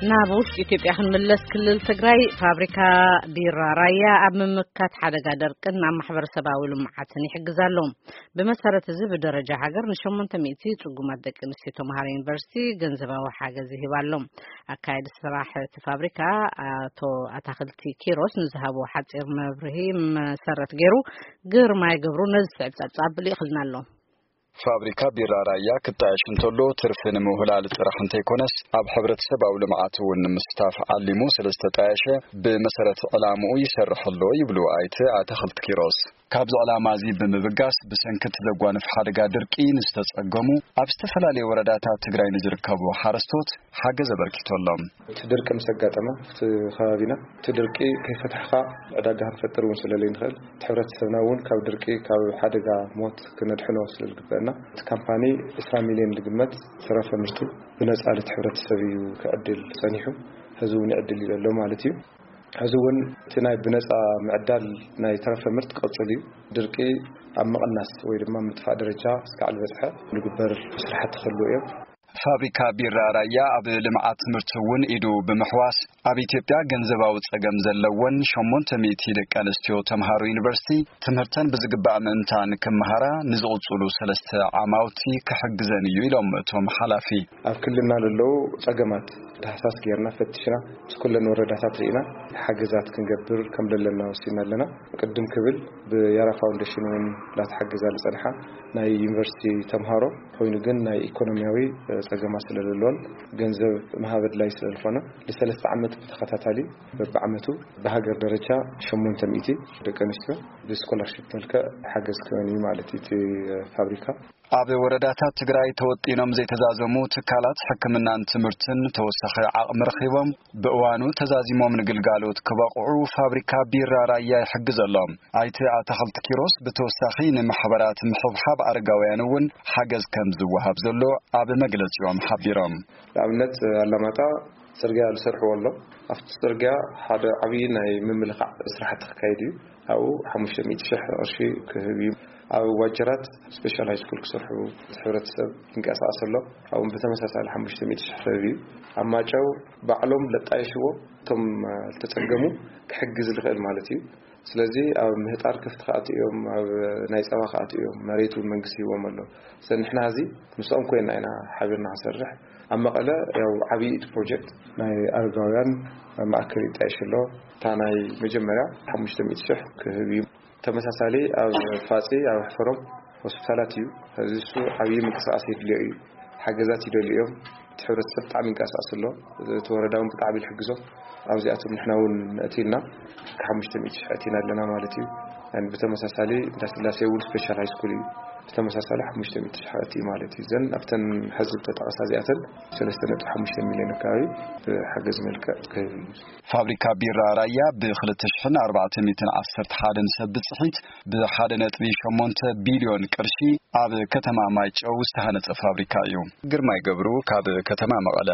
ናብ ውሽጢ ኢትዮጵያ ክንምለስ፣ ክልል ትግራይ ፋብሪካ ቢራ ራያ ኣብ ምምካት ሓደጋ ደርቅን ኣብ ማሕበረሰባዊ ልምዓትን ይሕግዝ ኣሎ። ብመሰረት እዚ፣ ብደረጃ ሃገር ንሸሞንተ ሚእቲ ጽጉማት ደቂ ኣንስትዮ ተምሃሮ ዩኒቨርሲቲ ገንዘባዊ ሓገዝ ይህብ ኣሎ። ኣካየዲ ስራሕ እቲ ፋብሪካ ኣቶ ኣታኽልቲ ኪሮስ ንዝሃቦ ሓጺር መብርሂ መሰረት ገይሩ፣ ግርማይ ገብሩ ነዚ ዝስዕብ ጸብጻብ ልኢኽልና ኣሎ። ፋብሪካ ቢራ ራያ ክጣየሽ እንተሎ፣ ትርፊ ንምውህላል ጥራሕ እንተይኮነስ፣ ኣብ ሕብረተሰባዊ ልምዓት እውን ንምስታፍ ዓሊሙ ስለ ዝተጣየሸ፣ ብመሰረት ዕላምኡ ይሰርሕ ኣሎ ይብሉ ኣይተ ኣታኽልቲ ኪሮስ። ካብዚ ዕላማ እዚ ብምብጋስ፣ ብሰንኪ እቲ ዘጓንፍ ሓደጋ ድርቂ ንዝተጸገሙ፣ ኣብ ዝተፈላለዩ ወረዳታት ትግራይ ንዝርከቡ ሓረስቶት ሓገዝ ኣበርኪቱ ኣሎ። እቲ ድርቂ ምስ ኣጋጠመ፣ ኣብቲ ከባቢና እቲ ድርቂ ከይፈታሕኻ ዕዳጋ ክንፈጥር እውን ስለ ዘይንኽእል፣ እቲ ሕብረተሰብና እውን ካብ ድርቂ፣ ካብ ሓደጋ ሞት ክነድሕኖ ስለ ዝግበአና፣ እቲ ካምፓኒ ዕስራ ሚልዮን ዝግመት ተረፈ ምርቱ ብነጻ ነቲ ሕብረተሰብ እዩ ክዕድል ጸኒሑ። ሕዚ እውን ይዕድል እዩ ዘሎ ማለት እዩ። ሕዚ እውን እቲ ናይ ብነጻ ምዕዳል ናይ ተረፈ ምርት ክቕጽል እዩ። ድርቂ ኣብ ምቕናስ ወይ ድማ ምጥፋእ ደረጃ እስካዕ ዝበጽሐ ንግበር ስራሕቲ ክህልዉ እዮም። ፋብሪካ ቢራ ራያ ኣብ ልምዓት ትምህርቲ እውን ኢዱ ብምሕዋስ፣ ኣብ ኢትዮጵያ ገንዘባዊ ጸገም ዘለወን ሸሞንተ ሚእቲ ደቂ ኣንስትዮ ተምሃሮ ዩኒቨርሲቲ ትምህርተን ብዝግባእ ምእንታን ክመሃራ ንዝቕጽሉ ሰለስተ ዓማውቲ ክሕግዘን እዩ ኢሎም እቶም ሓላፊ። ኣብ ክልልና ለለዉ ጸገማት ዳህሳስ ጌርና ፈቲሽና፣ ምስ ኩለን ወረዳታት ርኢና ሓገዛት ክንገብር ከም ዘለና ወሲና ኣለና። ቅድም ክብል ብያራ ፋውንዴሽን እውን ላተሓገዛ ዝጸንሓ ናይ ዩኒቨርሲቲ ተምሃሮ ኮይኑ ግን ናይ ኢኮኖሚያዊ ጸገማት ስለዘለዎን ገንዘብ መሃብ ኣድላይ ስለዝኾነ፣ ንሰለስተ ዓመት ብተኸታታሊ በብዓመቱ ብሃገር ደረጃ ሸሞንተ ሚእቲ ደቂ ኣንስትዮ ብስኮላርሺፕ መልክዕ ሓገዝ ክህበን እዩ ማለት እዩ እቲ ፋብሪካ። ኣብ ወረዳታት ትግራይ ተወጢኖም ዘይተዛዘሙ ትካላት ሕክምናን ትምህርትን ተወሳኺ ዓቕሚ ረኺቦም ብእዋኑ ተዛዚሞም ንግልጋሎት ክበቕዑ ፋብሪካ ቢራ ራያ ይሕግዘሎም። ኣይተ ኣታኽልቲ ኪሮስ ብተወሳኺ ንማሕበራት ምሕብሓብ ኣረጋውያን እውን ሓገዝ ከም ዝወሃብ ዘሎ ኣብ መግለጺኦም ሓቢሮም። ንኣብነት ኣላማጣ ጽርግያ ዝሰርሕዎ ኣሎ። ኣብቲ ጽርግያ ሓደ ዓብዪ ናይ ምምልኻዕ ስራሕቲ ክካየድ እዩ። ኣብኡ ሓሙሽተ ሚእቲ ሽሕ ቅርሺ ክህብ እዩ። ኣብ ዋጀራት ስፔሻል ሃይ ስኩል ክሰርሑ እቲ ሕብረተሰብ ይንቀሳቐስ ኣሎ። ኣብኡ ብተመሳሳሊ ሓሙሽተ ሚእቲ ሽሕ ክህብ እዩ። ኣብ ማጨው ባዕሎም ለጣየሽዎ እቶም ዝተጸገሙ ክሕግዝ ዝኽእል ማለት እዩ። ስለዚ ኣብ ምህጣር ከፍቲ ክኣትኡ እዮም፣ ኣብ ናይ ጸባ ክኣትኡ እዮም። መሬት እውን መንግስቲ ሂቦም ኣሎ። ስለዚ ንሕና እዚ ምስኦም ኮይና ኢና ሓቢርና ክንሰርሕ። ኣብ መቐለ ያው ዓብዪ እቲ ፕሮጀክት ናይ ኣረጋውያን ማእከል ይጣየሽ ኣሎ። እታ ናይ መጀመርያ ሓሙሽተ ሚእቲ ሽሕ ክህብ እዩ። ተመሳሳሊ ኣብ ፋጺ፣ ኣብ ሕፈሮም ሆስፒታላት እዩ። እዚ እሱ ዓብዪ ምንቅስቃስ የድልዮ እዩ። ሓገዛት ይደልዩ እዮም። እቲ ሕብረተሰብ ብጣዕሚ ይንቀሳቀስ ኣሎ። እቲ ወረዳ እውን ብጣዕሚ ይሕግዞም። ኣብዚኣቶም ንሕና እውን ኣእቲና ሓሙሽተ ሚእቲ ሽሕ ኣእቲና ኣለና ማለት እዩ። ብተመሳሳሊ እንዳስላሴ እውን ስፔሻል ሃይ ስኩል እዩ። ብተመሳሳሊ ሓሙሽተ ሚእቲ ሽሕ ኣእትዩ ማለት እዩ። እዘን ኣብተን ሕዚ ዝተጠቐሳ እዚኣተን ሰለስተ ነጥቢ ሓሙሽተ ሚልዮን ኣካባቢ ብሓገዝ መልክዕ ክህብ እዩ። ፋብሪካ ቢራ ራያ ብ ክልተ ሽሕን ኣርባዕተ ሚእትን ዓሰርተ ሓደን ሰብ ብጽሒት ብ ሓደ ነጥቢ ሸሞንተ ቢልዮን ቅርሺ ኣብ ከተማ ማይጨው ዝተሃነጸ ፋብሪካ እዩ። ግርማይ ገብሩ ካብ ከተማ መቐለ።